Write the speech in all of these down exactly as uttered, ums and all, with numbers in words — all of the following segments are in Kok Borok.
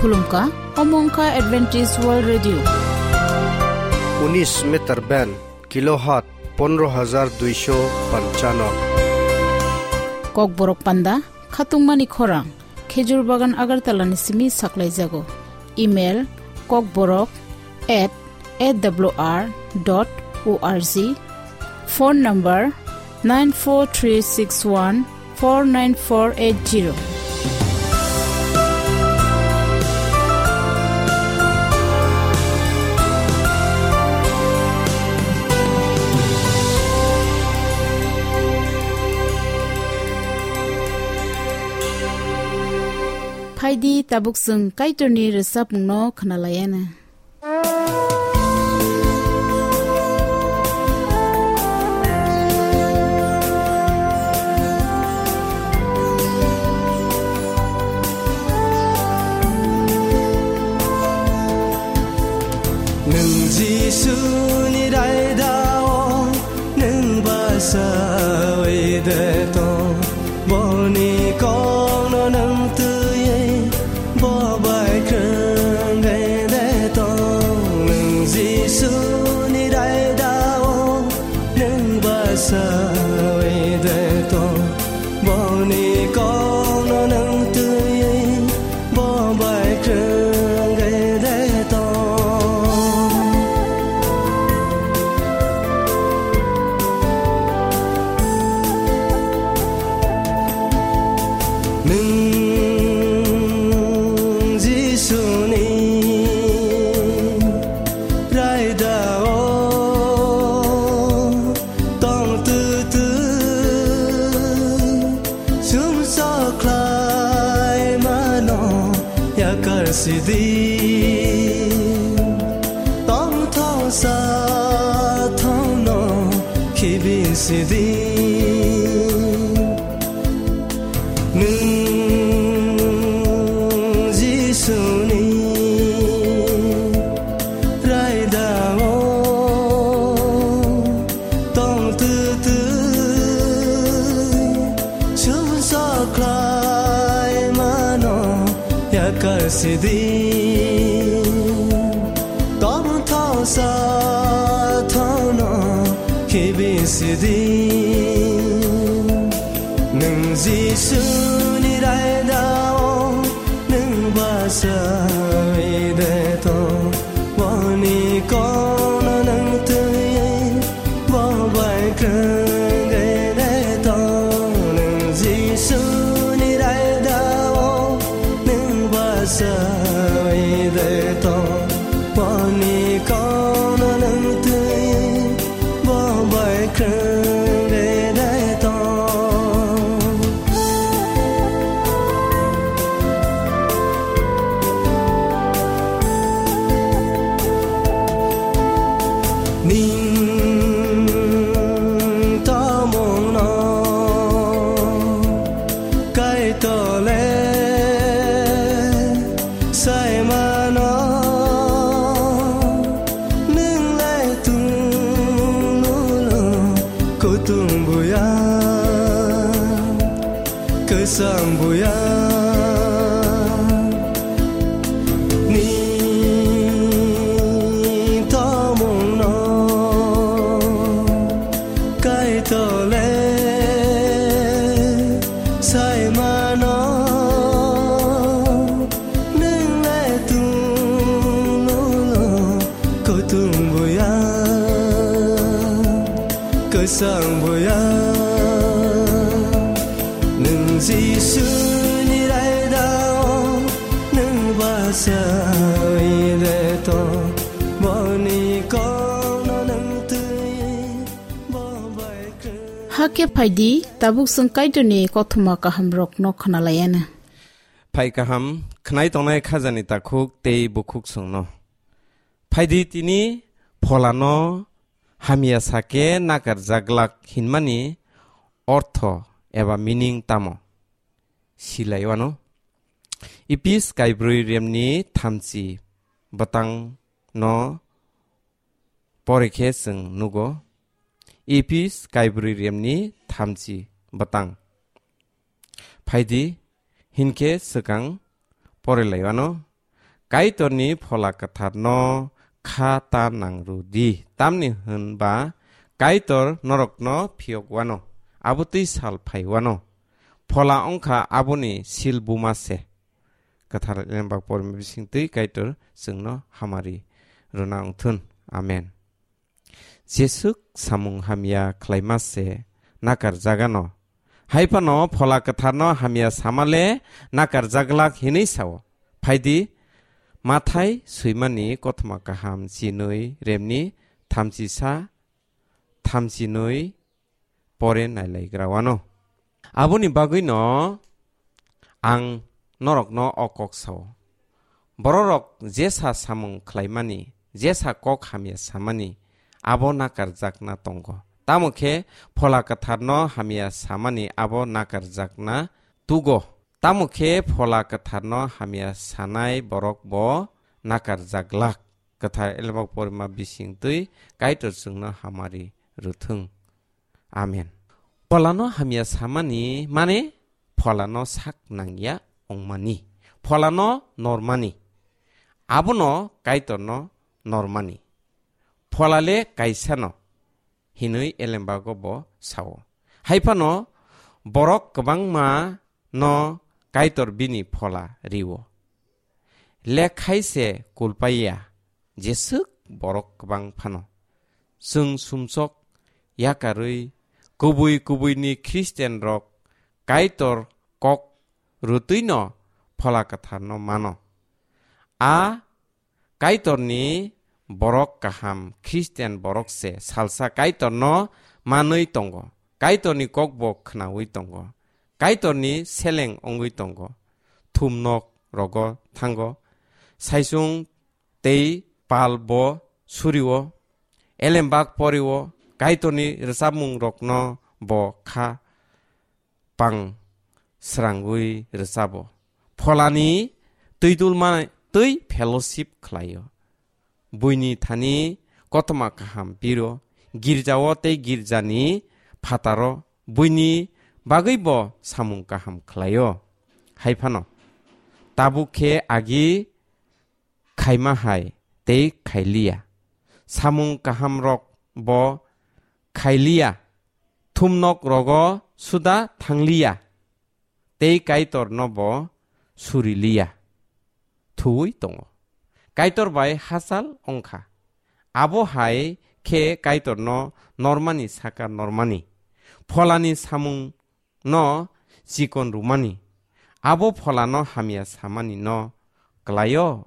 Khulumkha, omo wngkha Adventist World Radio. Unis meter band, kilohertz pondro hajar duisho panchano. Kokborok panda, khatungmani khorang, Khejur Bagan Agartala ni simi saklaijago. Email, kokborok at A W R dot O R G. Phone number nine four three six one four nine four eight zero. Phaidi tabuk chwng Kaitorni rwchapmungno khwnalaiana. Nwng Jisuni raidao nwng bachaui de tong. Boni kokno nwng twiwi bo bai kwrwngwi de tong. Nwng Jisuni raidao nwng bachaui de tong. Boni kokno nwng twiwi bo bai kwrwngwi de tong. Nwng Jisuni raidao tong twtwi, sumsok khlaimano yakar sidi. Tongthok sathokno khibi sidi. Nwng Jisuni raidao tong twtwi, sumsok khlaimano yakar sidi. Tongthok sathokno khibi sidi. Nwng Jisuni raidao nwng bachaui de tong. Boni kokno nwng twiwi bo bai kwrwngwi de tong. Nwng Jisuni raidao nwng bachaui de tong. Boni kokno nwng twiwi bo bai kwrwngwi de tong. Nwng tongmungno Kaitor le saimano, nwng le tunglulo kutung buya, kwchang buya. Nwng tongmungno Kaitor le saimano, nwng le tunglulo kutung buya, kwchang buya. Nwng Jisuni raidao nwng bachaui de tong. Boni kokno nwng twiwi bo bai kwrwng. Hakhe phaidi, tabuk chwng Kaitorni kothoma kahamrokno khwnalaiana. Phai kaham, khwnai tongnai khajani takhuk tei bukhuk chwngno. Phaidi tini pholano hamya sake nakarjaglak hinmani ortho eba meaning tamo? Silaiwano. Epis kaibrwi remni thamchi bwtangno porikhe chwng nugo. Epis kaibrwi remni thamchi bwtang. Phaidi, hinkhe swkang porelaiwano. Kaitorni Phola Kwtharno kha ta nang rw di, tamni hwn ba Kaitor norokno phiyok wano, abo twi sal phai wano. Phola wng kha aboni sil buma se. Kwthar Elembak porima bising twi Kaitor chwngno hamari rwna wng thun. Amen. Jesuk samung hamya khlaima se nakar jagano. Hai phano Phola Kwtharno hamya samale nakar jaglak hinwi sao. Phaidi, Mathai swimani kothoma kaham chinwi remni thamchisa, thamchinwi pore nailaigra wano. Aboni bagwino ang norokno o kok sao. Bororok jesa samung khlaimani, jesa kok hamya samani, abo nakarjakna tongo. Tamo khe Phola Kwtharno hamya samani abo nakarjakna tugo. Tamo khe Phola Kwtharno hamya sanai borok bo nakarjaglak. Kwthar Elembak porima bising twi Kaitor chwngno hamari rwthwng. Amen. Pholano hamya samani mane Pholano sak nangya wngmani. Pholano normani. Abono Kaitorno normani. Pholale kaisano hinwi Elembago bo sao. Hai phano borok kwbangma no Kaitor bini Phola riwo. Lekhai se kulpaiya, jeswk borok kwbang phano. Chwng sumsok yakarwi kubui kubuini Khristianrok Kaitor kok rwtwino Phola Kwtharno mano. A Kaitorni borok kaham Khristian borok se salsa Kaitorno manwi tongo. Kaitorni kokbo khnaui tongo. Kaitorni seleng wngwi tongo. Thumnok rogo thango. Saisung tei pal bo surio. Elembak porio. Kaitorni rwchapmung rokno bo kha pang srangwi rwchabo. Pholani twi dulma twi fellowship khlaio. Buini thani kothoma kaham piro, girjao tei girjani phataro buini bagwi bo samung kaham khlaio. Hai phano tabuk khe agi khaima hai tei khailiya. Samung kaham rok bo khailiya. Thumnok rogo suda thangliya. Tei Kaitor no bo suriliya. Thuwi tongo. Kaitor bai hachal wngkha. Abo hai khe Kaitor no normani saka normani. Pholani samung no chikon rumani. Abo pholano hamya samani no klaio.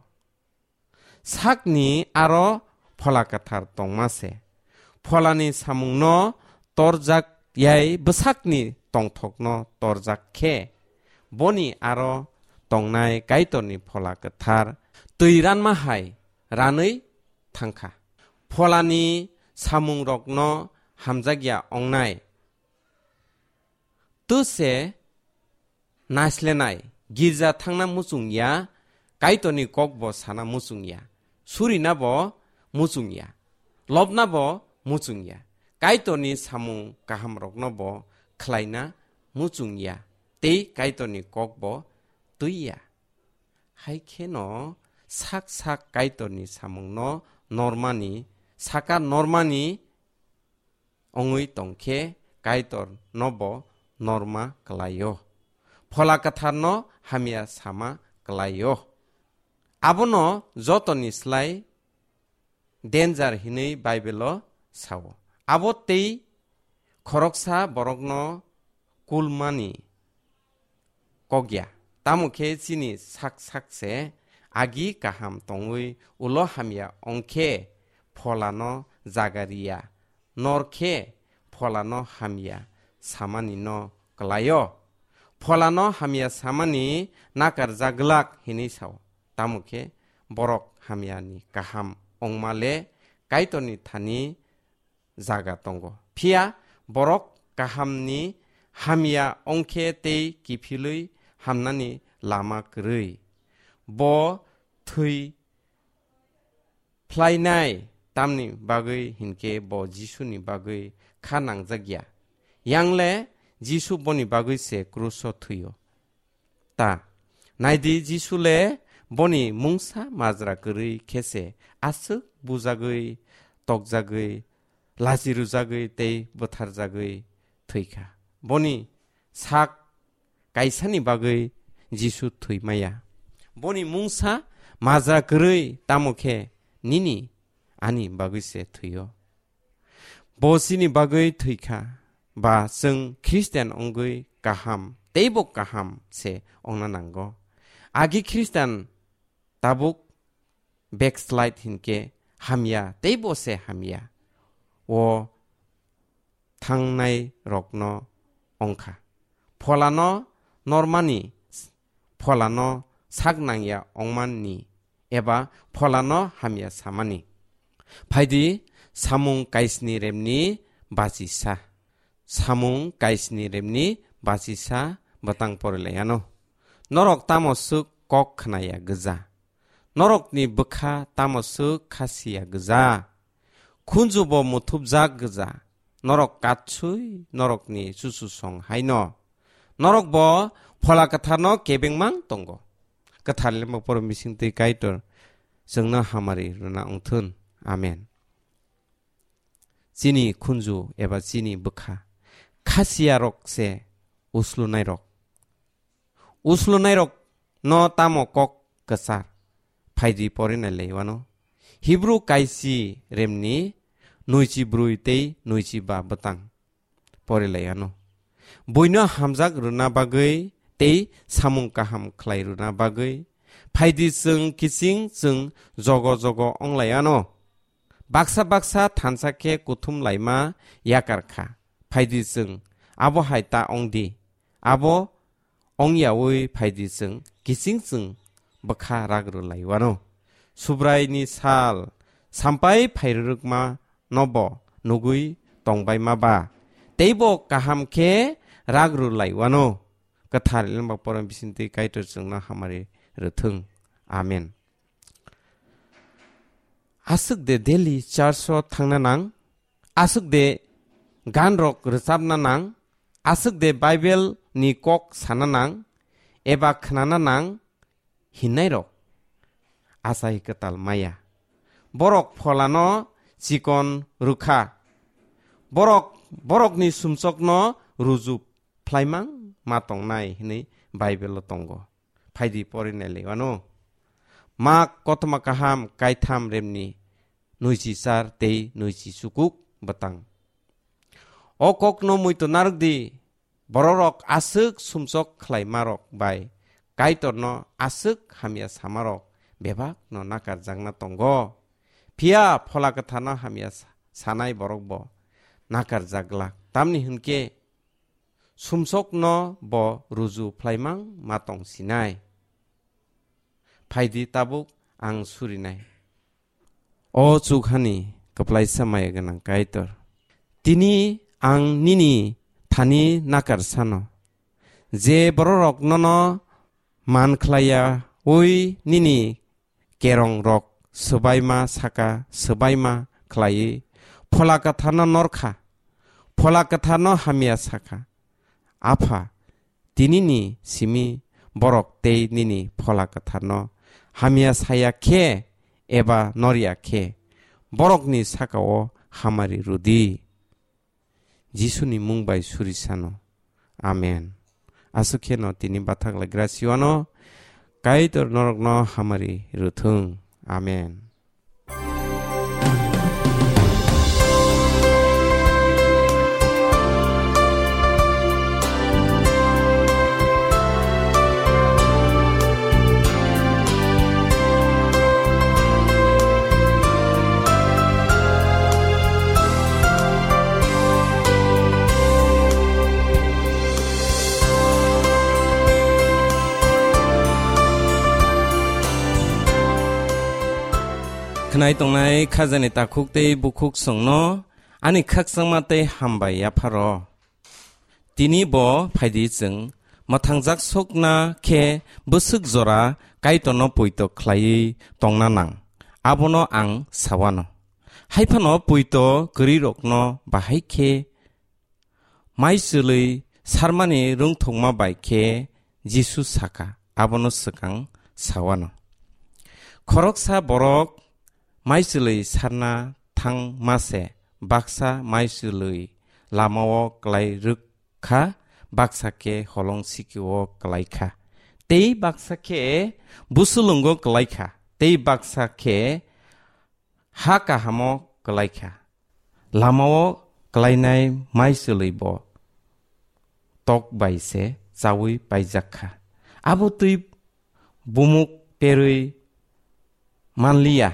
Sakni aro Phola Kwthar tongma se. Pholani samungno torjak yai bwsakni tongthokno torjak khe, boni aro tongnai Kaitorni Phola Kwthar twi ranma hai ranwi thangkha. Pholani samungrokno hamjakya ongnai. Tuse naislenai, girja thangna muchung ya, Kaitorni kokbo sana muchung ya, surina bo muchung ya, lobna bo muchung ya, Kaitorni samung kahamrokno bo khlaina muchung ya, tei Kaitorni kokbo twi ya. Hai kheno sak sak Kaitorni samungno normani, saka normani wngwi tongkhe Kaitor nobo norma klaio. Phola Kwtharno hamya sama klaio. Abono jotoni slai danger hinwi Bible-o sao. Abo tei khoroksa borokno kulmani kokya. Tamo khe chini sak sak se agi kaham tongwi ulo hamya ongkhe pholano jaga riya. Nor khe pholano hamya samani no klaio. Pholano hamya samani nakarjaglak hinwi sao. Tamo khe borok hamyani kaham ongma le Kaitorni thani jaga tongo. Phiya borok kahamni hamya ongkhe tei kiphilwi hamnani lama kwrwi. Bo thwi phlainai tamni bagwi hinkhe bo Jisuni bagwi kha nangjakya. Yangle Jisu boni bagwi se kruso thwio. Ta, naidi Jisu le Boni mungsa majra kwrwi khe se aswk bujagwi, tokjagwi, lachi rwjagwi tei bwtharjagwi thwikha. Boni sak kaisani bagwi Jisu thwi maya. Boni mungsa majra kwrwi tamo khe nini ani bagwi se thwio. Bo chini bagwi thwikha, ba chwng Christian wngwi kaham, teibo kaham se wngna nango. Agi Christian tabuk backslide hinkhe hamya, teibo se hamya. O thangnai rokno wngkha. Pholano normani, pholano sak nangya wngmanni, eba pholano hamya samani. Phaidi samung kaisni remni bachisa. Samung kaisni remni bachisa bwtang porilaiano. Norok tamo swk kok khnaya gwja. Norokni bwkha tamo swk khasiya gwja. Khunjubo muthupjak gwja. Norok katsui norokni chuchusong haino. Norokbo Phola Kwtharno kebengmang tongo. Kwthar lembo poro misingtwi Kaitor chwngno hamari rwna wngthun. Amen. Chini khunju eba chini bwkha khasiyarok se uslunairok. Uslunairok no tamo kok kwchar? Phaidi porinai laiwano. Hibru kaisi remni nwichi brwi tei nwichi ba bwtang porilaiano. Buino hamjak rwna bagwi tei samung kaham khlai rwna bagwi phaidi chwng kiching chwng jogo jogo onglaiano. Baksa baksa thansa khe kuthum laima yakar kha. Phaidi chwng abo hai ta ongdi. Abo ongyaui phaidi chwng kiching chwng bwkha rak rwlaiwano. Subraini sal sampai phairwrwkma nobo nugui tongbaima ba. Teibo kaham khe rak rwlaiwano. Kwthar Elembak Poro Bisingtwi Kaitor chwngno hamari rwthwng. Amen. Aswk de daily church o thangna nang, aswk de gan rok rwchapna nang, aswk de Bible ni kok sana nang, eba khnana nang hinnairok achai kwtal maya. Borok pholano chikon rwkha. Borok, borokni sumsokno ruju phlaimang ma tongnai hinwi Bible o tongo. Phaidi porinai laiwano. Mak kothoma kaham kaitham remni nwichi char tei nwichi chukuk bwtang. O kokno muitu narwkdi, bororok aswk sumsok khlaimarok bai Kaitorno aswk hamya samarok bebakno nakarjakna tongo. Phiya Phola Kwtharno hamya sa-, sanai borokbo nakarjak glak. Tamni hwnkhe sumsokno bo ruju phlaimang ma tong sinai. Phaidi tabuk ang surinai. O chukhani kwplaisa maya gwnang Kaitor, tini ang nini thani nakar sano, je bororok nono man khlaiya ui nini kerong rok swbaima saka swbaima khlaiwi Phola Kwtharno norkha, Phola Kwtharno hamya sakha. Apha, tinini simi borok tei nini Phola Kwtharno hamya saya khe eba norya khe, borokni sakao hamari rwdi. Jisuni mung bai suri sano. Amen. Aswk kheno tini bathak lai grasiwano Kaitor norokno hamari rwthwng. Amen. Khwnai tongnai khajani takhuk tei bukhuk chwngno ani khakchangma tei hambai yapharo. Tini bo phaidi chwng mwthangjak sokna khe bwswk jora Kaitorno poito khlaiwi tongna nang, abono ang sawano. Haiphano poito kwrwirokno bahai khe mai chwlwi sarmani rwngthokma bai khe Jisu sakha, abono swkang sawano. Boroksa borok maichwlwi sarna thangma se baksa maichwlwi lamao klai rwk kha, baksa khe holong sikio klai kha, tei baksa khe busulungo klai kha, tei baksa khe ha kahamo klai kha. Lamao klainai maichwlwi bo tok bai se chaui paijak kha. Abo twi bumuk perwi manliya.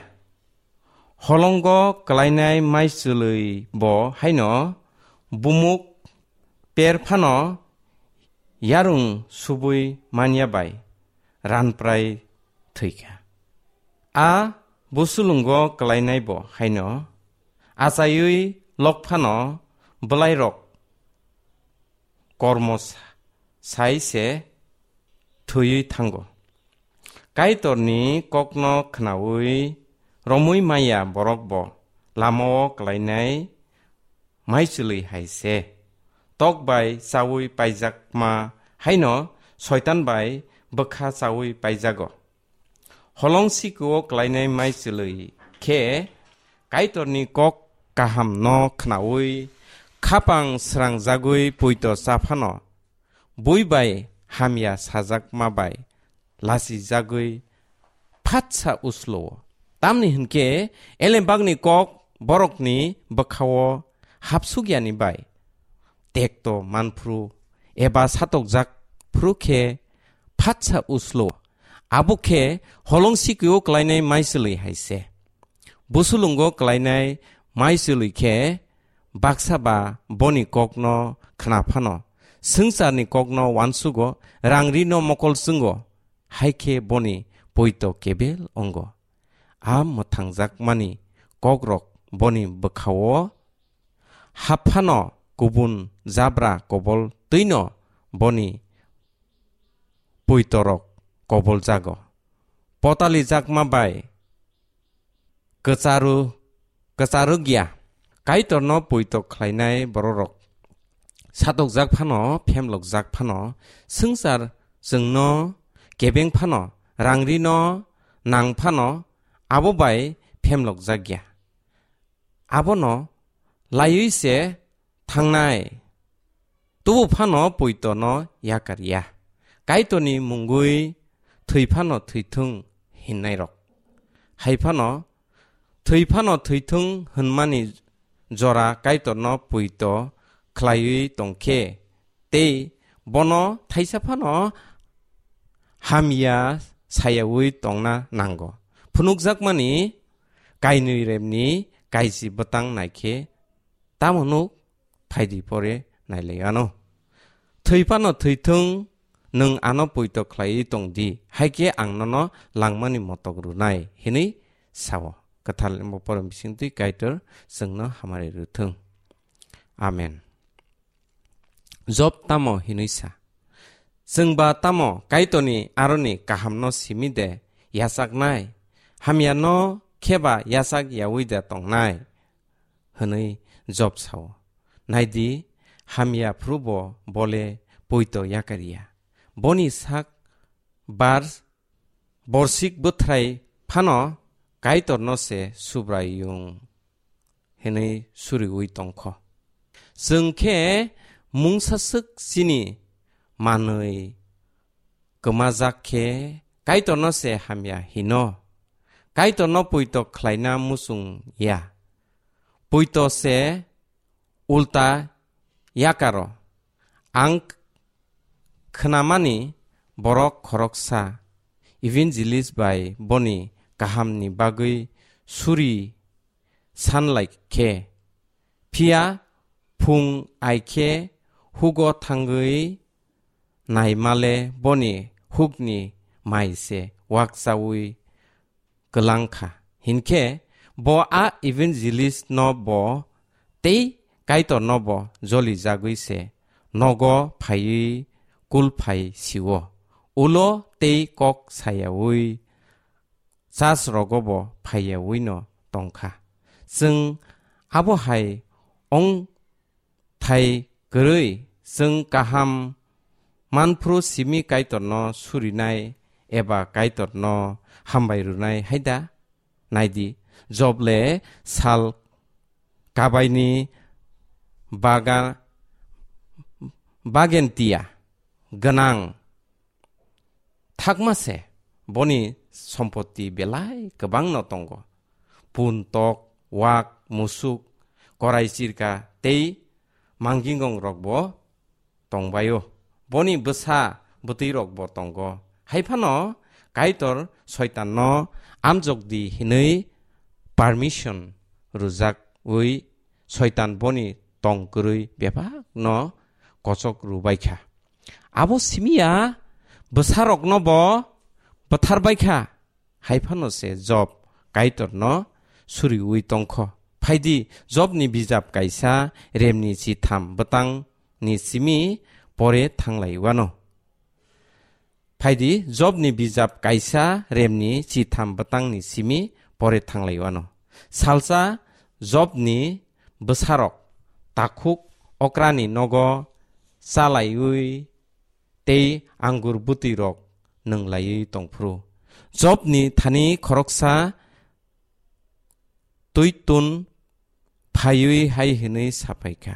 Holongo klainai maichwlwi bo haino bumuk per phano yarung subui manya bai ranprai thwikha. A busulungo klainai bo haino achaiwi lok phano bwlairok kormo sa-, sai se thwiwi thango. Kaitorni kokno khnaui romwi maya borok bo lamao klainai maichwlwi hai se. Tok bai chaui paijakma haino soitan bai bwkha chaui paijago. Holong sikio klainai maichwlwi khe Kaitorni kok kaham no khnaui khapang srangjagwi poito cha phano bui bai hamya sajakma bai lachijagwi phatsa uslo-o. Tamni hwnkhe elembakni kok borokni bwkhao hapsukyani bai tekto manphru eba satokjak phru khe phatsa uslo. Abo khe holong sikio klainai maichwlwi hai se. Busulungo klainai maichwlwi khe baksa ba boni kokno khna phano, swngcharni kokno uansugo, rang rino mokol chwngo, hai khe boni poito kebel ongo. A mwthangjakmani kokrok boni bwkhao hap phano kubun jabra kobol twino boni poitorok koboljago. Potalijakma bai kwcharu, kwcharwkya. Kaitorno poito khlainai bororok satokjak phano, phemlokjak phano, swngchar chwngno kebeng phano, rang rino nang phano, abo bai phemlokjakya. Abono laiwi se thangnai. Tubu phano poitono yakar ya. Kaitorni mungwi thwi phano thwithwng hinnairok. Hai phano thwi phano thwithwng hwnmani jora Kaitorno poito khlaiwi tongkhe, tei bono thaisa phano hamya sayaui tongna nango. Phunukjakmani kainwi remni kaisi bwtang naikhe tamo nuk phaidi pore nailai ano. Thwi phano thwithwng, nwng ano poito khlaiwi tong di, hai khe ang nono langmani motok rwnai, hinwi sao. Kwthar limbo porom bisingtwi Kaitor chwngno hamari rwthwng. Amen. Job tamo hinwi sa? Chwngba tamo Kaitorni aroni kahamno simi de yachaknai? Hamyano kheba yachak yaui de tongnai? Hwnwi Job sao. Naidi, hamya phrubo bole poito yakar ya. Boni sak bar borsik bwthrai phano Kaitorno se Subraiyung hinwi suriui tongkho. Chwng khe mungsaswk chini manwi kwmajak khe Kaitorno se hamya hino. Kaitorno poito khlaina muchung ya. Poito se ulta yakaro. Ang khnamani borok khoroksa evangelist bai boni kahamni bagwi suri sanlai khe, phiya phung ai khe hugo thangwi naimale boni hukni mai se wakchaui kwlang kha. Hinkhe bo a evangelist no bo tei Kaitor no bo joli jagwi se nogo phaiwi kul phai sio. Ulo tei kok sayaui church rogo bo phaiyaui no tongkha. Chwng abo hai ong thai kwrwi chwng kaham manphru simi Kaitorno surinai eba Kaitorno hambai rwnai hai da? Naidi, Job le sal kabaini baga-, bagentia gwnang thakma se, boni sompoti belai kwbangno tongo. Pun tok, wak, musuk, korai chirka tei mangingong rokbo tongbaio. Boni bwsa bwtwi rokbo tongo. Hai phano Kaitor Soitanno amjok di hinwi permission rwjak wi Soitan boni tong kwrwi bebak no kochok rwbai kha. Abo simi ya bwsarokno bo bwthar bai kha. Hai phano se Job Kaitorno suriui tong kho. Phaidi Jobni bijap kaisa remni chitham bwtangni simi pore thanglai wano. Phaidi Jobni bijap kaisa remni chitham bwtangni simi pore thanglai wano. Salsa Jobni bwsarok takhuk okrani nogo chalaiwi tei angur bwtwi rok nwnglaiwi tongphuru. Jobni thani khoroksa twitun phaiwi hai hwnwi saphai kha,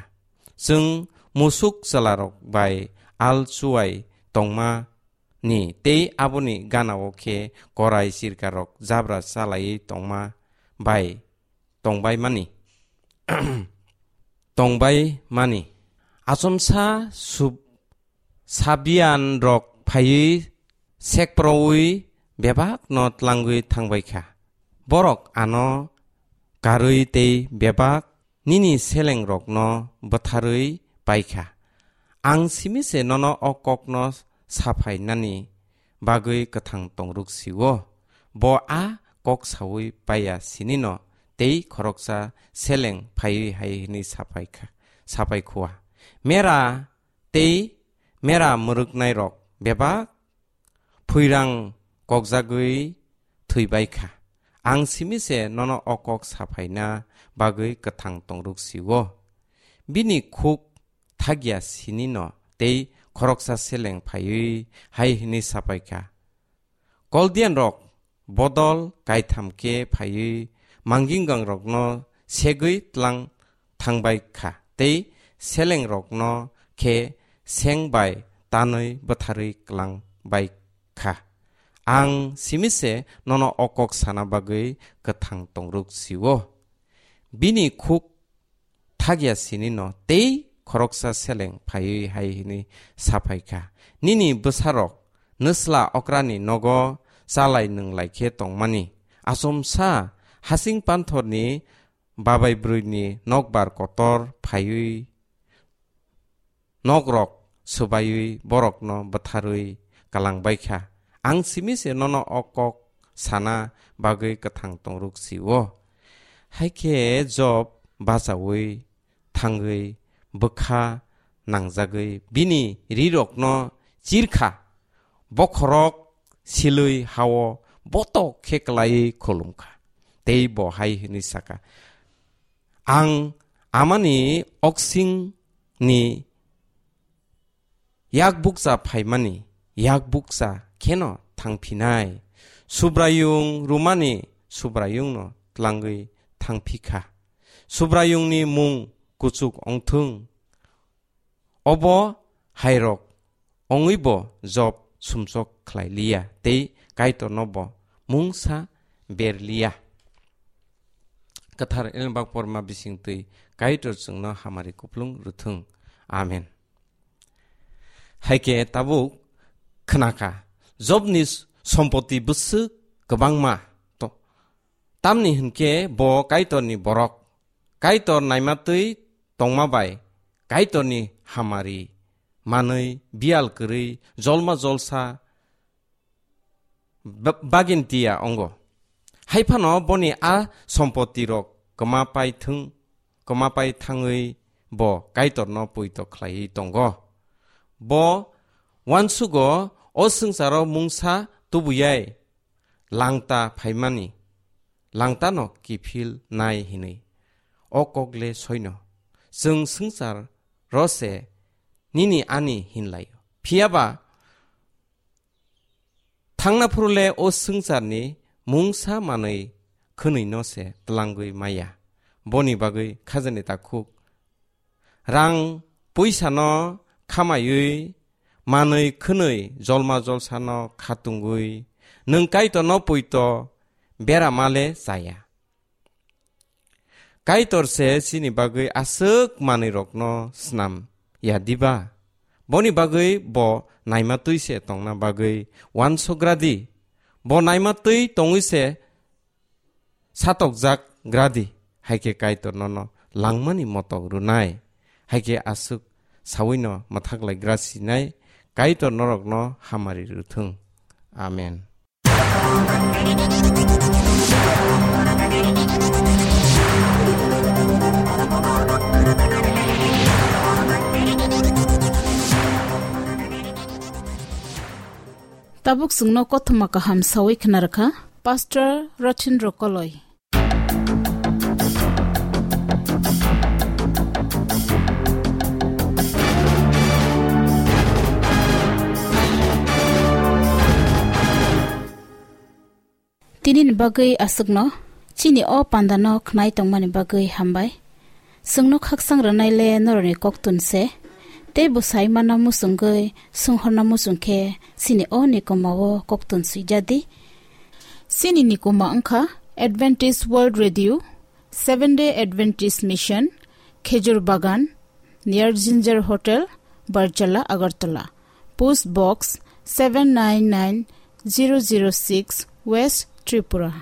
"Chwng musuk chwlarok bai al chuwai tongma ni tei aboni ganao khe korai chirkarok jabra chalaiwi tongma bai tongbai mani." Tongbai mani. Achomsa sub-, Sabian rok phaiwi sekproui bebak no tlangwi thangbai kha. Borok ano karwi tei bebak nini selengrokno bwtharwi pai kha. Ang simi se nono o kokno saphainani bagwi kwthang tongruk sio. Bo a kok saui paiya sinino tei khoroksa seleng phaiwi hai hwnwi sapai kha, sapai khua, "Mera tei mera mwrwknairok bebak phuirang kokjagwi thwibai kha. Ang simi se nono o kok saphaina bagwi kwthang tongruk sio." Bini khuk thagya sinino tei khoroksa seleng phaiwi hai hwnwi sapai kha, "Koldianrok bodol kaitham khe phaiwi manginggangrokno segwi tlang thangbai kha tei selengrokno khe seng bai tanwi bwtharwi klang bai kha. Ang simi se nono o kok sana bagwi kwthang tongruk sio." Bini khuk thagya sinino tei khoroksa seleng phaiwi hai hwnwi saphai kha, "Nini bwsarok nwsla okrani nogo chalai nwnglai khe tongmani. Achomsa hasing panthorni babai brwini nokbar kotor phaiwi nokrok swbaiwi borokno bwtharwi kalangbai kha. Ang simi se nono o kok sana bagwi kwthang tongruk sio." Hai khe Job bachaui thangwi bwkha nangjagwi bini rirokno chirkha, bokhorok silwi hao botok khe klaiwi khulumkha. Tei bo hai hwnwi sakha, "Ang amani oksingni yak bukcha phaimani yak bukcha kheno thangphinai. Subraiyung rwmani Subraiyungno tlangwi thangphi kha. Subraiyungni mung kuchuk ongthung." Obo hairok ongwibo Job sumsok khlai liya tei Kaitorno bo mungsa ber liya. Kwthar Elembak Porma bisingtwi Kaitor chwngno hamari kuplung rwthwng. Amen. Hai khe tabuk khna kha, Jobni sompoti bwswk kwbangma to-, tamni hwn khe bo Kaitorni borok, Kaitor naimatwi tongma bai Kaitorni hamari manwi biyal kwrwi jolma jolsa ba-, bagintia ongo. Hai phano boni a sompoti rok kwma pai thung, kwma pai thangwi bo Kaitorno poito khlaiwi tongo. Bo uansugo o swngcharo mungsa tubuyai langta phaimani, langtano kiphil nai hinwi. O kokle soino, chwng swngchar rose nini ani hinlaio. Phiyaba Thangna phuru le o swngcharni mungsa manwi khwnwi no se tlangwi maya. Boni bagwi khajani takhuk rang puisa no khamaiwi manwi khwnwi jolma jolsa no khatungwi nwng Kaitor no poito berama le chaya. Kaitor se chini bagwi aswk manwi rokno snam ya diba? Boni bagwi bo naima twi se tongna bagwi uansugra di. Bo naima twi tongwi se satokjak gra di. Hai khe Kaitor nono langmani motok rwnai. Hai khe aswk sawino mwthaklai gra sinai Kaitor norokno hamari rwthwng. Amen. Tabuk chwngno kothoma kaham sawi khna rwkha Pastor Rothin Rokoloi. Tinini bagwi aswkno, chini o pandano khnai tongmani bagwi hambai. Chwngno khakchang rwnai le norokni koktun se, tei bwsai manna muchungwi swnghorna muchung khe chini o nikomao koktun swijadi. Chini nikoma wngkha Adventist World Radio, Seventh Day Adventist Mission, Khejur Bagan, near Ginger Hotel, Barchala, Agartala. Post Box seven nine nine zero zero six, West Tripura.